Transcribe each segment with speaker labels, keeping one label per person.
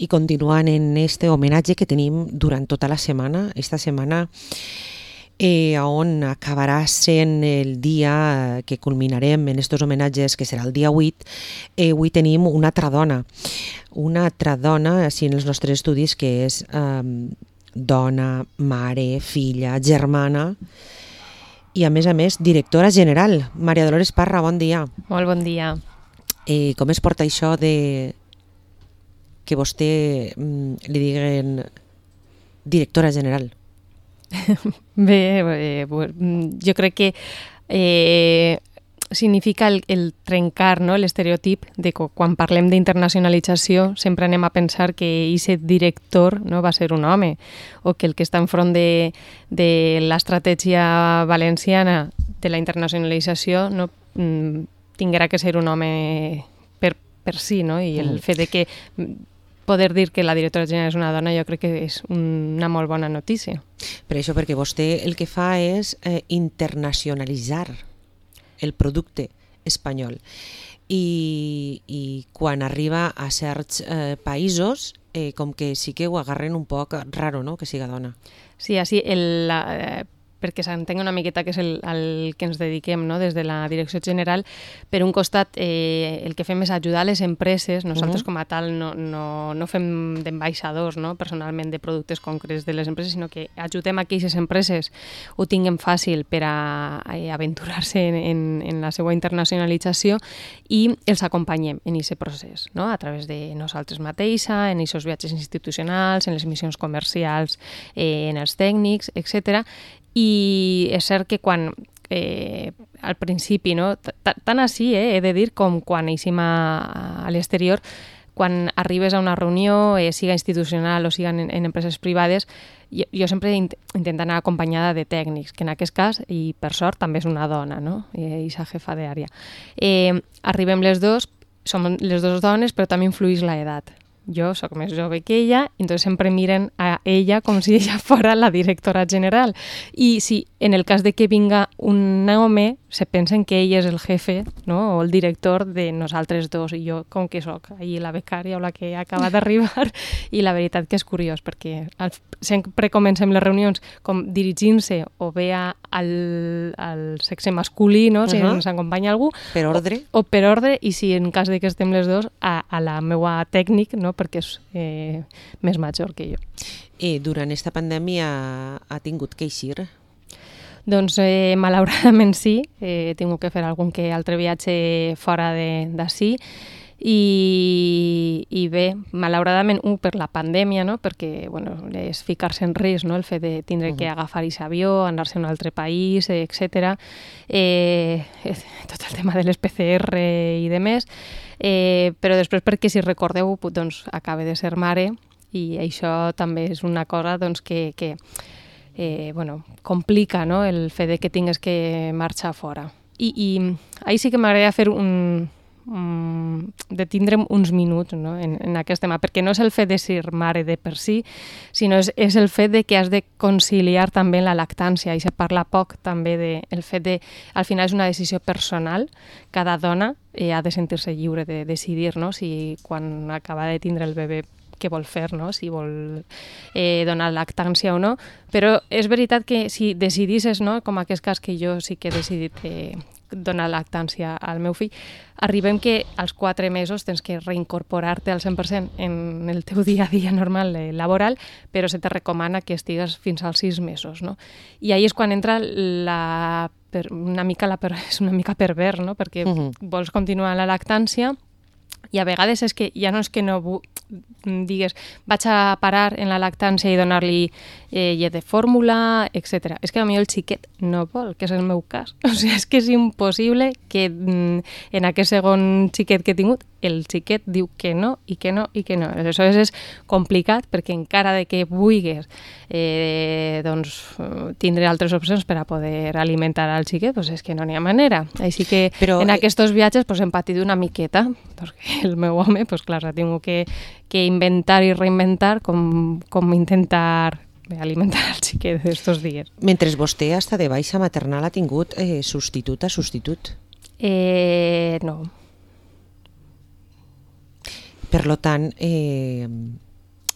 Speaker 1: i continuant en este homenatge que tenim durant tota la setmana, esta setmana on acabarà sent el dia que culminarem en estos homenatges, que serà el dia 8, avui tenim una altra dona, així en els nostres estudis, que és dona, mare, filla, germana i a més directora general. Maria Dolores Parra, bon dia.
Speaker 2: Molt bon dia.
Speaker 1: Com es porta això de que vostè li diguen directora general?
Speaker 2: Bé, jo crec que significa el trencar, no?, l'estereotip de que quan parlem d'internacionalització sempre anem a pensar que aquest director, no, va ser un home, o que el que està enfront de l'estratègia valenciana de la internacionalització no, tinguerà que ser un home per si, no? I el fet de que poder dir que la directora general és una dona jo crec que és una molt bona notícia.
Speaker 1: Per això, perquè vostè el que fa és internacionalitzar el producte espanyol i quan arriba a certs països com que sí que ho agarren un poc raro, no?, que siga dona.
Speaker 2: Sí, així perquè s'entengui una miqueta que és el que ens dediquem, no?, des de la direcció general. Per un costat, el que fem és ajudar les empreses. Nosaltres com a tal no fem d'ambaixadors, no?, personalment de productes concrets de les empreses, sinó que ajudem a que aquestes empreses ho tinguin fàcil per a aventurar-se en la seva internacionalització i els acompanyem en aquest procés, no?, a través de nosaltres mateixa, en aquests viatges institucionals, en les missions comercials, en els tècnics, etc. I és cert que quan al principi, no, tant així he de dir com quan eixim a l'exterior, quan arribes a una reunió, siga institucional o siga en empreses privades, jo sempre intento anar acompanyada de tècnics, que en aquest cas, i per sort, també és una dona, no?, aquesta jefa d'àrea. Arribem les dos, som les dues dones, però també influeix l'edat. Jo sóc més jove que ella, i entonces sempre miren a ella com si ella fora la directora general. I si en el cas de que vinga un home, se pensen que ell és el jefe, no?, o el director de nosaltres dos, i jo com que sóc ahí la becària o la que acaba d'arribar, i la veritat que és curiós, perquè sempre comencem les reunions com dirigint-se o bé al sexe masculí, no?, si ens acompanya algú,
Speaker 1: per ordre,
Speaker 2: o per ordre, i si en cas de que estem les dos, a la meua tècnic, no?, perquè és més major que jo.
Speaker 1: Durant aquesta pandèmia ha tingut que eixir?
Speaker 2: Doncs malauradament sí, he tingut que fer algun que altre viatge fora d'ací i bé, malauradament, per la pandèmia, no?, perquè bueno, és ficar-se en risc, no?, el fet de tindre que agafar aquest avió, anar-se a un altre país, etc. Tot el tema de les PCR i demés, però després perquè, si recordeu, doncs acaba de ser mare i això també és una cosa doncs, que complica, no?, el fet de que tingues que marxar fora. I ahí sí que m'agradaria fer de tindre'm uns minuts, no?, en aquest tema, perquè no és el fet de ser mare de per si, sinó és el fet de que has de conciliar també la lactància, i se parla poc també del fet de, al final és una decisió personal, cada dona ha de sentir-se lliure de decidir, no?, si quan acaba de tindre el bebè què vol fer, no?, si vol donar lactància o no, però és veritat que si decidisses, no?, com aquest cas que jo sí que he decidit donar lactància al meu fill, arribem que als 4 mesos tens que reincorporar-te al 100% en el teu dia a dia normal laboral, però se te recomana que estigues fins als 6 mesos, no? I ahí és quan entra és una mica pervers, no?, perquè vols continuar la lactància i a vegades és que ja no és que no digues vaig a parar en la lactància i donar-li llet de fórmula, etc. És que potser el xiquet no vol, que és el meu cas. O sigui, és que és impossible que en aquest segon xiquet que he tingut el xiquet diu que no i que no i que no. Aleshores és complicat perquè encara de que vulguis tindre altres opcions per a poder alimentar al xiquet, doncs és que no n'hi ha manera. Així que en aquests viatges hem patit una miqueta, perquè el meu home, clar, ha tingut que inventar i reinventar com intentar alimentar el xiquet d'estos dies.
Speaker 1: Mentre vostè està de baixa maternal ha tingut substitut a substitut?
Speaker 2: No.
Speaker 1: Per tant,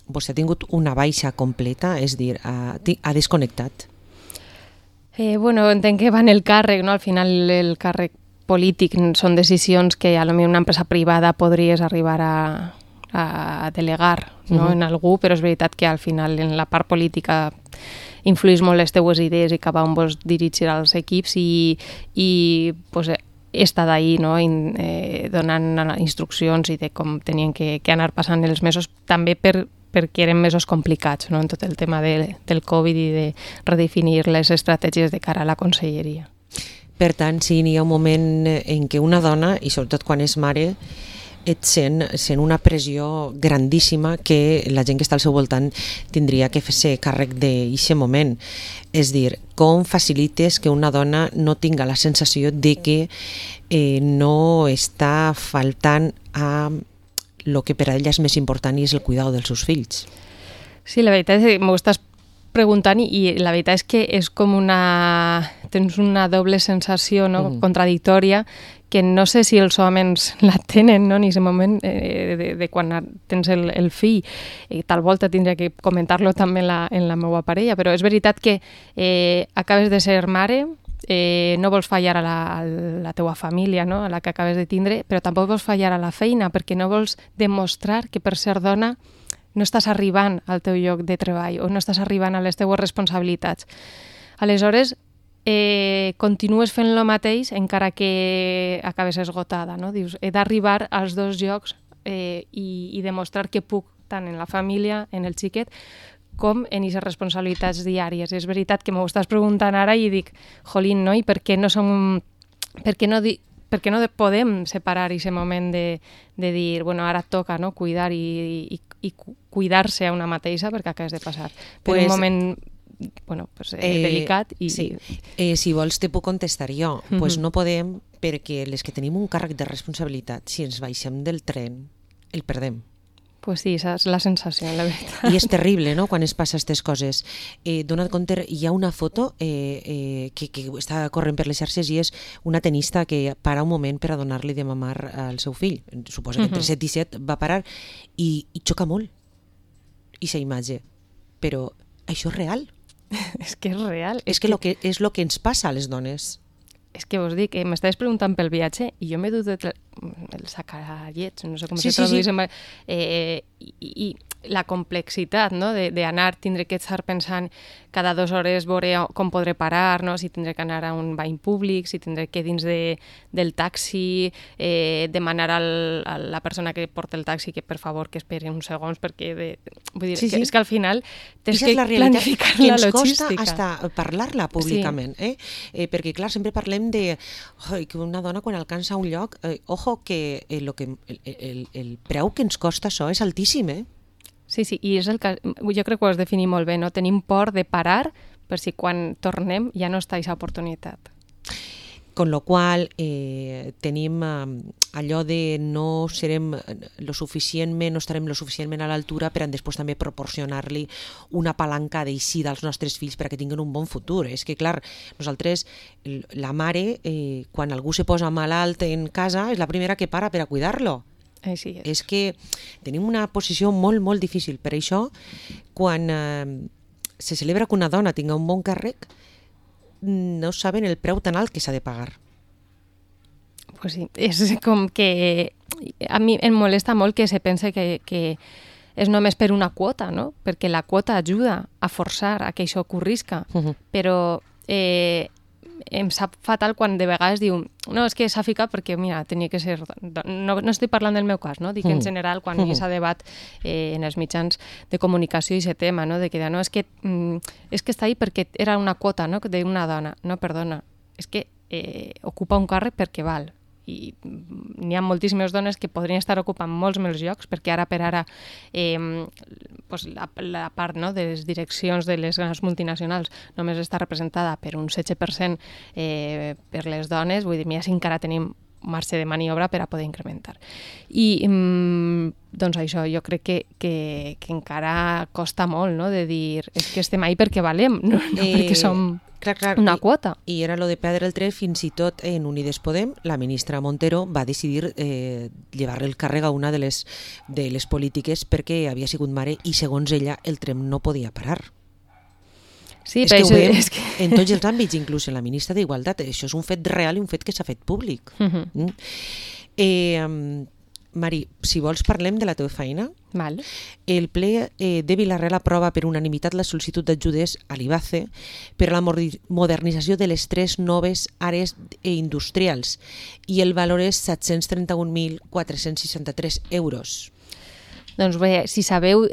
Speaker 1: vostè ha tingut una baixa completa, és dir, ha desconnectat.
Speaker 2: Bueno, entenc que va en el càrrec, no? Al final el càrrec polític són decisions que a lo millor una empresa privada podries arribar a delegar, no? En algú, però és veritat que al final en la part política influís molt les teues idees i cap a on vols dirigir els equips i pues, he estat ahí, no? Donant instruccions i de com tenien que anar passant els mesos, també perquè eren mesos complicats, no? En tot el tema del Covid i de redefinir les estratègies de cara a la conselleria.
Speaker 1: Per tant, sí, n'hi ha un moment en què una dona, i sobretot quan és mare, et sent una pressió grandíssima que la gent que està al seu voltant tindria que fer-se càrrec d'aquest moment. És dir, com facilites que una dona no tinga la sensació de que no està faltant a el que per a ella és més important i és el cuidado dels seus fills.
Speaker 2: Sí, la veritat és que m'ho estàs preguntant i la veritat és que és com tens una doble sensació, no? Contradictòria, que no sé si els homes la tenen, no? En aquest moment de quan tens el fill. Tal volta tindria que comentar-lo també en la meva parella, però és veritat que acabes de ser mare, no vols fallar a la teua família, no? A la que acabes de tindre, però tampoc vols fallar a la feina perquè no vols demostrar que per ser dona no estàs arribant al teu lloc de treball o no estàs arribant a les teues responsabilitats. Aleshores, continues fent el mateix encara que acabes esgotada, no? Dius, he d'arribar als dos llocs i demostrar que puc tant en la família, en el xiquet, com en aquestes responsabilitats diàries. És veritat que m'ho estàs preguntant ara i dic, jolín, no? I per què no podem separar aquest moment de dir, bueno, ara toca, no? Cuidar i cuidar-se a una mateixa perquè acabes de passar per un moment delicat.
Speaker 1: Sí. Si vols te puc contestar jo. Pues no podem perquè les que tenim un càrrec de responsabilitat, si ens baixem del tren, el perdem.
Speaker 2: Pues sí, esa és la sensació, la veritat.
Speaker 1: I és terrible, no?, quan es passa aquestes coses. Dona't compte, hi ha una foto que està corrent per les xarxes i és una tenista que para un moment per a donar-li de mamar al seu fill. Suposa que entre 7 i 7 va parar i xoca molt aquesta imatge. Però això és real.
Speaker 2: És que és real.
Speaker 1: És el que ens passa a les dones.
Speaker 2: És que vos dic, m'estaves preguntant pel viatge i jo m'he dut el sacallets, no sé com se traduís. I la complexitat, no? D'anar, tindré que estar pensant cada 2 hores veure com podré parar, no? Si tindré que anar a un bany públic, si tindré que dins del taxi demanar a la persona que porta el taxi que per favor que esperi uns segons perquè vull dir, és que al final tens que planificar la logística.
Speaker 1: Que ens costa hasta parlar-la públicament, perquè clar, sempre parlem de que una dona quan alcança un lloc, ojo que el preu que ens costa això és altíssim,
Speaker 2: Sí, i és el que jo crec que ho has definit molt bé, no? Tenim por de parar per si quan tornem ja no està aquesta oportunitat.
Speaker 1: Con lo qual tenim allò de no estarem lo suficientment a l'altura per a després també proporcionar-li una palanca d'eixir dels nostres fills perquè tinguin un bon futur. És que, clar, nosaltres, la mare, quan algú se posa malalt en casa, és la primera que para per a cuidar-lo.
Speaker 2: Així és.
Speaker 1: És que tenim una posició molt, molt difícil. Per això, quan se celebra que una dona tinga un bon càrrec, no saben el preu tan alt que s'ha de pagar.
Speaker 2: Pues sí, és com que a mi em molesta molt que se pense que és només per una quota, no? Perquè la quota ajuda a forçar a que això ocorrisca, però em sap fatal quan de vegades diu no, és que s'ha ficat perquè, mira, tenia que ser... No estic parlant del meu cas, no? Dic en general quan hi ha debat en els mitjans de comunicació i aquest tema, no? De que no, és que està ahí perquè era una quota, no? D'una dona. No, perdona, és que ocupa un càrrec perquè val. I n'hi ha moltíssimes dones que podrien estar ocupant molts més llocs perquè ara per ara la part, no, de les direccions de les grans multinacionals només està representada per un 16% per les dones, vull dir, mira si encara tenim marge de maniobra per a poder incrementar. I doncs això, jo crec que encara costa molt, no?, de dir és que estem ahí perquè valem, no perquè som una quota.
Speaker 1: I era lo de perdre el tren, fins i tot en Unides Podem, la ministra Montero va decidir llevar-li el càrrec a una de les polítiques perquè havia sigut mare i, segons ella, el tren no podia parar.
Speaker 2: Sí,
Speaker 1: és que ho veiem en tots els àmbits, inclús en la ministra d'Igualtat. Això és un fet real i un fet que s'ha fet públic. Mari, si vols parlem de la teva feina.
Speaker 2: Val.
Speaker 1: El ple de Vila-real aprova per unanimitat la sol·licitud d'ajudes a l'IBACE per a la modernització de les 3 noves àrees industrials i el valor és 731.463 euros.
Speaker 2: Doncs bé, si sabeu,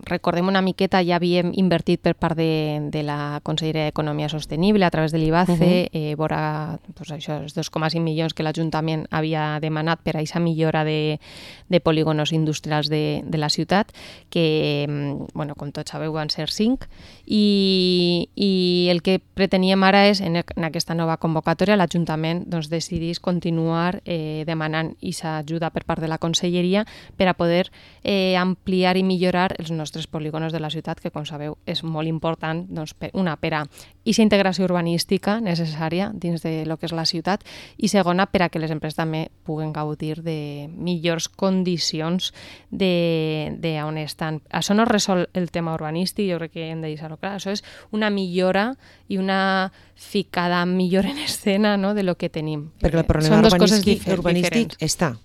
Speaker 2: recordem una miqueta, ja havíem invertit per part de la Conselleria d'Economia Sostenible a través de l'IBACE, vora això, els 2,5 milions que l'Ajuntament havia demanat per a aquesta millora de polígonos industrials de la ciutat, que, com tots sabeu, van ser 5, i el que preteníem ara és, en aquesta nova convocatòria, l'Ajuntament decidís continuar demanant aquesta ajuda per part de la Conselleria per a poder ampliar i millorar els nostres polígonos de la ciutat, que, com sabeu, és molt important, per a aquesta integració urbanística necessària dins de lo que és la ciutat, i segona, per a que les empreses també puguen gaudir de millors condicions d'on estan. Això no resol el tema urbanístic, jo crec que hem de deixar-ho clar. Això és una millora i una ficada millor en escena, no?, de lo que tenim.
Speaker 1: Perquè el problema urbanístic està.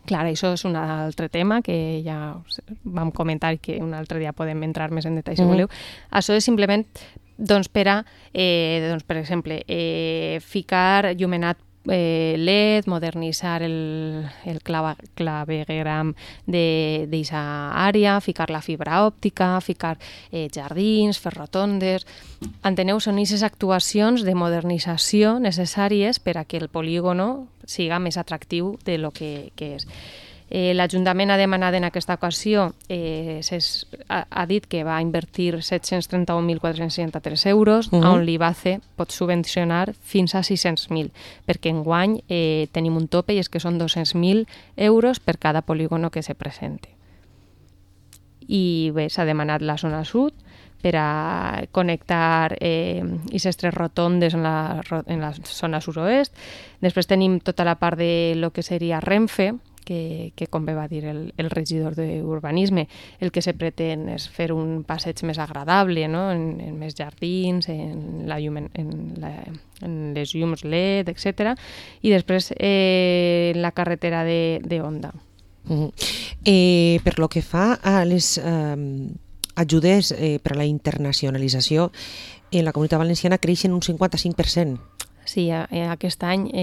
Speaker 2: Clar, això és un altre tema que ja vam comentar i que un altre dia podem entrar més en detall si voleu. Això és simplement per exemple, ficar llumenat LED, modernitzar el clavegueram d'aquesta àrea, ficar la fibra òptica, ficar jardins, fer rotondes. Enteneu? Són aquestes actuacions de modernització necessàries per a que el polígono siga més atractiu de lo que és. L'Ajuntament ha demanat en aquesta ocasió, ha dit que va invertir 731.463 euros, on l'IBACE pot subvencionar fins a 600.000, perquè enguany tenim un tope i és que són 200.000 euros per cada polígono que se presente. I bé, s'ha demanat la zona sud per a connectar aquestes 3 rotondes en la zona sud-oest. Després tenim tota la part de lo que seria Renfe, que com bé va dir el regidor d'Urbanisme, el que se pretén és fer un passeig més agradable, no?, en més jardins, en les llums LED, etc. I després la carretera de Onda.
Speaker 1: Per lo que fa a les ajudes per a la internacionalització, en la Comunitat Valenciana creixen un 55%.
Speaker 2: Sí, aquest any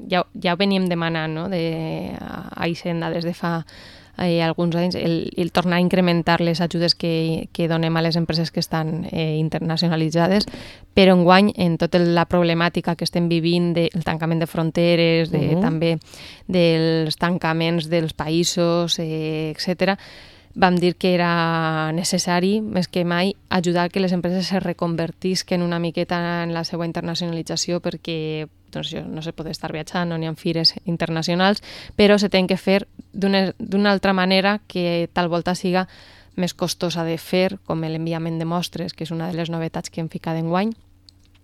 Speaker 2: ja ho veníem demanant, no?, a Hisenda des de fa alguns anys, el tornar a incrementar les ajudes que donem a les empreses que estan internacionalitzades, però enguany, en tota la problemàtica que estem vivint del tancament de fronteres, també dels tancaments dels països, etc., vam dir que era necessari, més que mai, ajudar que les empreses se reconvertisquen una miqueta en la seva internacionalització, perquè no se pot estar viatjant, no n'hi ha fires internacionals, però se tenen que fer d'una altra manera que tal volta siga més costosa de fer, com l'enviament de mostres, que és una de les novetats que hem ficat enguany,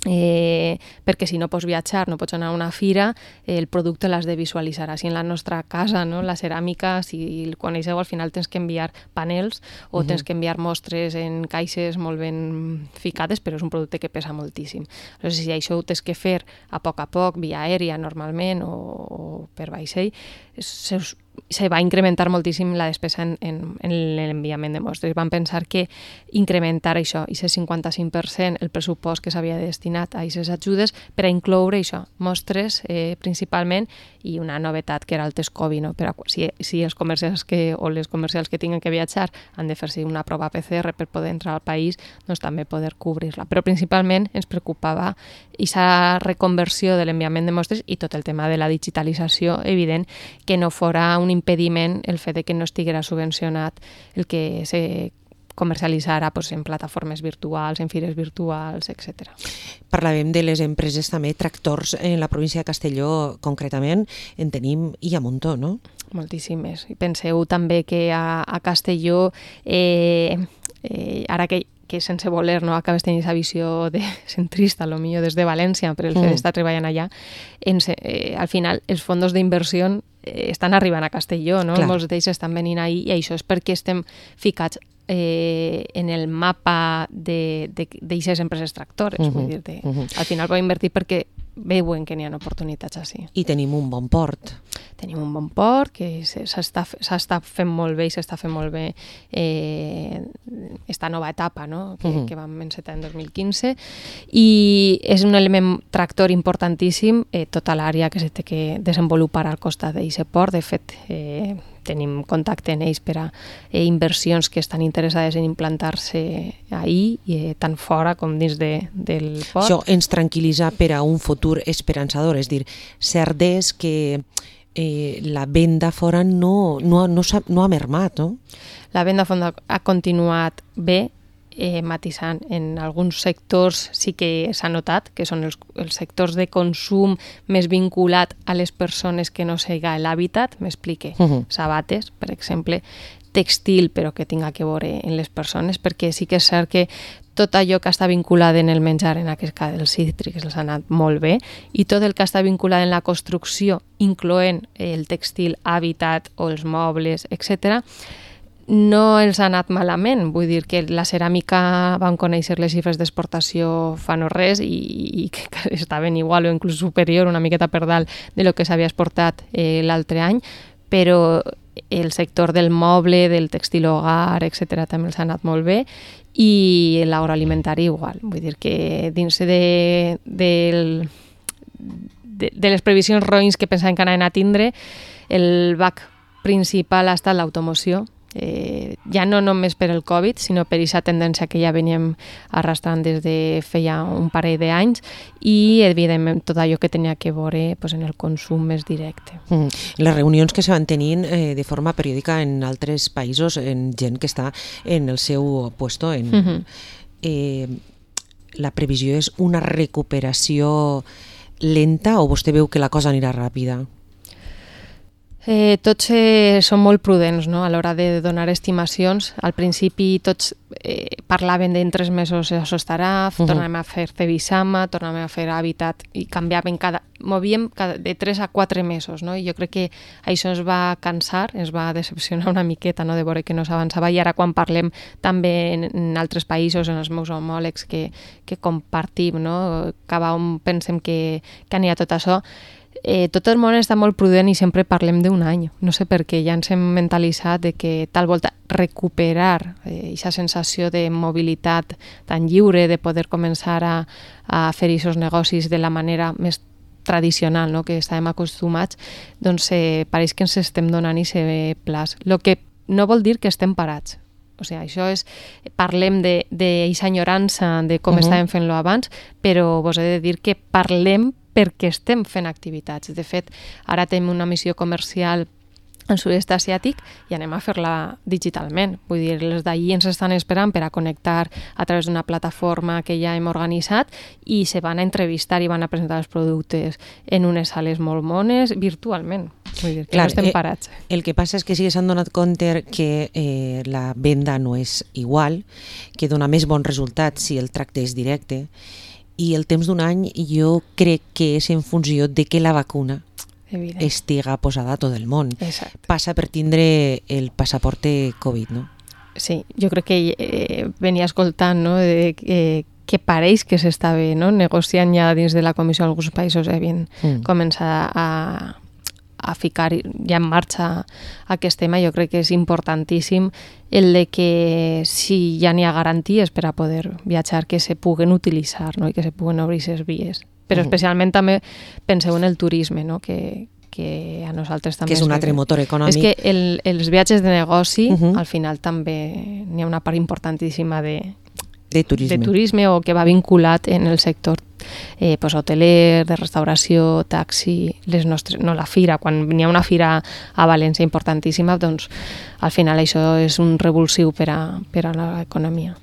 Speaker 2: perquè si no pots viatjar, no pots anar a una fira, el producte l'has de visualitzar. Així en la nostra casa, no?, la ceràmica, si el coneixeu, al final tens que enviar panels o tens que enviar mostres en caixes molt ben ficades, però és un producte que pesa moltíssim. Llavors, si això ho tens que fer a poc, via aèria normalment o per vaixell, se va incrementar moltíssim la despesa en l'enviament de mostres. Vam pensar que incrementar això, aquest 55%, el pressupost que s'havia destinat a aquestes ajudes, per a incloure això, mostres principalment, i una novetat que era el test Covid, no? Per a, si els comercials o les comercials que tinguen que viatjar han de fer-se una prova PCR per poder entrar al país, doncs també poder cobrir-la. Però principalment ens preocupava aquesta reconversió de l'enviament de mostres i tot el tema de la digitalització, evident, que no fora un impediment el fet de que no estiguera subvencionat el que comercialitzar en plataformes virtuals, en fires virtuals, etc.
Speaker 1: Parlàvem de les empreses també, tractors en la província de Castelló concretament, en tenim i a muntó, no?
Speaker 2: Moltíssimes. I penseu també que a Castelló, ara que sense voler no acabes tenint aquesta visió de centrista, potser des de València, per el fet d'estar treballant allà, al final els fons d'inversió estan arribant a Castelló, no? Molts d'ells estan venint ahir i això és perquè estem ficats en el mapa d'aquestes empreses tractores. Vull dir, al final podem invertir perquè veuen que n'hi ha oportunitats així.
Speaker 1: I tenim un bon port.
Speaker 2: Tenim un bon port que s'està fent molt bé i s'està fent molt bé esta nova etapa, no? que vam encetar en 2015, i és un element tractor importantíssim tota l'àrea que s'ha de desenvolupar al costat d'aquest port. De fet, tenim contacte en ells per a inversions que estan interessades en implantar-se ahir, tant fora com dins del port.
Speaker 1: Això ens tranquil·litza per a un futur esperançador, és dir, cert és que la venda fora no ha mermat, no?
Speaker 2: La venda fora ha continuat bé, matisant. En alguns sectors sí que s'ha notat, que són els sectors de consum més vinculat a les persones que no siga l'hàbitat, m'explique. Sabates, per exemple, textil, però que tinga que veure en les persones, perquè sí que és cert que tot allò que està vinculat en el menjar, en aquest cas els cítrics, els ha anat molt bé, i tot el que està vinculat en la construcció, incloent el textil, hàbitat o els mobles, etc., no els ha anat malament. Vull dir que la ceràmica, vam conèixer les xifres d'exportació fa no res i que estaven igual o inclús superior, una miqueta per dalt de lo que s'havia exportat l'altre any, però el sector del moble, del textil hogar, etc., també els ha anat molt bé, i l'agroalimentari igual. Vull dir que dins de les previsions roïns que pensàvem que anaven a tindre, el bac principal ha estat l'automoció, ja no només per el Covid, sinó per aquesta tendència que ja veníem arrastrant des de feia un parell d'anys, i evidentment tot allò que tenia que veure en el consum més directe.
Speaker 1: Les reunions que se van tenint de forma periòdica en altres països, en gent que està en el seu puesto, la previsió és una recuperació lenta o vostè veu que la cosa anirà ràpida?
Speaker 2: Tots són molt prudents, no? A l'hora de donar estimacions. Al principi tots parlaven d'en 3 mesos això estarà, tornàvem a fer Cebisama, tornàvem a fer Hàbitat i canviàvem movíem de 3 a 4 mesos, no? I jo crec que això ens va cansar, ens va decepcionar una miqueta, no? De veure que no s'avançava, i ara quan parlem també en altres països, en els meus homòlegs que compartim, no? Cada on pensem que anirà tot això, tot el món està molt prudent i sempre parlem d'un any. No sé per què, ja ens hem mentalitzat de que tal volta recuperar aquesta sensació de mobilitat tan lliure, de poder començar a fer aquests negocis de la manera més tradicional, no?, que estàvem acostumats, doncs pareix que ens estem donant aquest plaç. El que no vol dir que estem parats. O sigui, això és, parlem d'aquesta enyorança de com estàvem fent-lo abans, però vos he de dir que parlem perquè estem fent activitats. De fet, ara tenim una missió comercial al sud-est asiàtic i anem a fer-la digitalment. Vull dir, els d'allí ens estan esperant per a connectar a través d'una plataforma que ja hem organitzat i se van a entrevistar i van a presentar els productes en unes sales molt mones virtualment. Vull dir que no estem parats.
Speaker 1: El que passa és que sí que s'han donat compte que la venda no és igual, que dona més bon resultat si el tracte és directe, i el temps d'un any jo crec que és en funció de que la vacuna estiga posada a tot el món.
Speaker 2: Exacte.
Speaker 1: Passa per tindre el passaporte Covid, no?
Speaker 2: Sí, jo crec que venia escoltant, no?, que pareix que s'estava, no?, negociant ja dins de la comissió. Alguns països havien començat a ficar ja en marxa aquest tema. Jo crec que és importantíssim el de que si ja n'hi ha garanties per a poder viatjar, que se puguen utilitzar, no?, i que se puguen obrir aquestes vies. Però especialment també penseu en el turisme, no?, que a nosaltres també...
Speaker 1: Que és un altre motor econòmic.
Speaker 2: És que els viatges de negoci, al final també n'hi ha una part importantíssima de turisme o que va vinculat en el sector pues, hoteler, de restauració, taxi, les nostres, no, la fira, quan n'hi ha una fira a València importantíssima, doncs al final això és un revulsiu per a l'economia.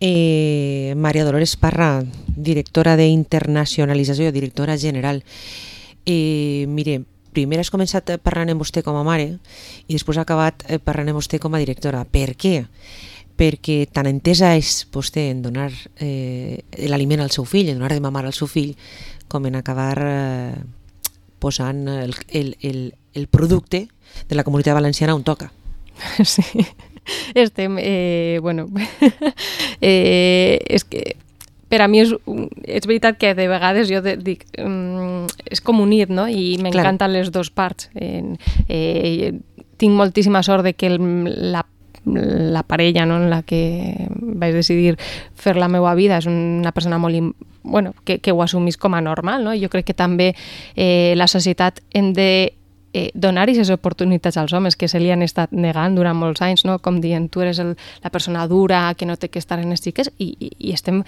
Speaker 1: Maria Dolores Parra, directora d'internacionalització, directora general. Mire, primer has començat parlant amb vostè com a mare i després ha acabat parlant amb vostè com a directora. Per què? Perquè tan entesa és vostè en donar l'aliment al seu fill, en donar de mamar al seu fill, com en acabar posant el producte de la Comunitat Valenciana on toca.
Speaker 2: Sí, estem, bueno, és que per a mi és veritat que de vegades jo dic, és com unir, no? I m'encanten les dues parts. Tinc moltíssima sort de que la parella, no, en la que vaig decidir fer la meva vida és una persona molt, bueno, que ho assumís com a normal, no? Jo crec que també la societat hem de donar aquestes oportunitats als homes que se li han estat negant durant molts anys, no? Com dient, tu eres la persona dura que no té que estar en les xiques i estem,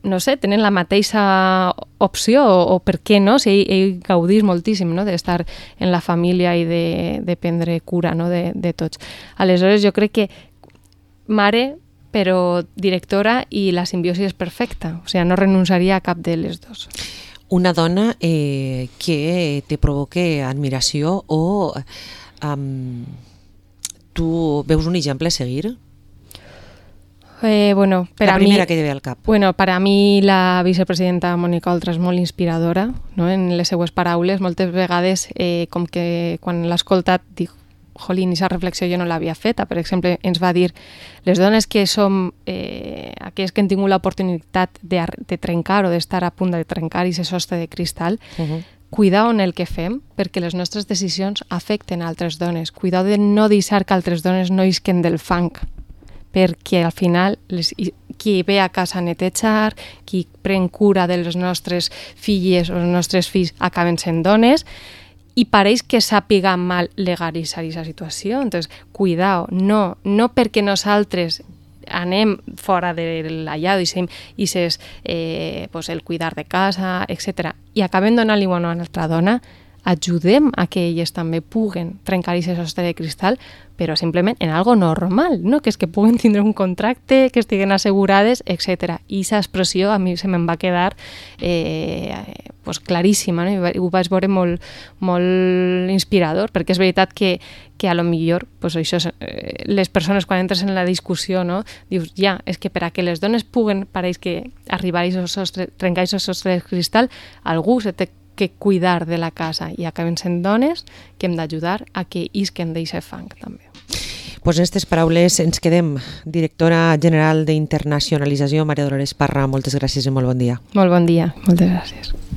Speaker 2: no sé, tenen la mateixa opció o per què no, si ell gaudís moltíssim, no? D'estar en la família i de prendre cura, no? de tots. Aleshores jo crec que mare però directora i la simbiosi és perfecta, o sigui, no renunciaria a cap de les dues.
Speaker 1: Una dona que te provoque admiració o tu veus un exemple a seguir?
Speaker 2: Bueno,
Speaker 1: la primera que te ve al cap.
Speaker 2: Bueno, per a mi la vicepresidenta Mònica Oltra és molt inspiradora, no? En les seues paraules, moltes vegades com que quan l'he escoltat dic, jolín, aquesta reflexió jo no l'havia feta. Per exemple, ens va dir, les dones que som aquelles que han tingut l'oportunitat de trencar o d'estar a punt de trencar aquest sostre de cristal, cuidao en el que fem, perquè les nostres decisions afecten altres dones. Cuidao de no deixar que altres dones no isquen del fang, perquè al final qui ve a casa a netejar, qui pren cura de les nostres filles o els nostres fills acaben sent dones, i pareix que sàpiga mal legalitzar aquesta situació. Entonces, cuidao, no perquè nosaltres anem fora de la llar i pues, el cuidar de casa, etc. I acabem donant-li a una altra dona, ajudem a que elles també puguen trencar aquest sostre de cristal, però simplement en algo normal, no? Que és que puguen tindre un contracte, que estiguen assegurades, etc. I aquesta expressió a mi se me'n va quedar pues, claríssima, no? I ho vaig veure molt, molt inspirador, perquè és veritat que a lo millor pues, això, les persones quan entres en la discussió, no? Dius, ja, és que per a que les dones puguen, pareix que arribar a trencar aquest sostre de cristal, algú se té que cuidar de la casa i acaben sent dones que hem d'ajudar a que isquen d'aquest fang també.
Speaker 1: Pues en aquestes paraules ens quedem. Directora general d'Internacionalització, Maria Dolores Parra, moltes gràcies i molt bon dia.
Speaker 2: Molt bon dia, moltes gràcies.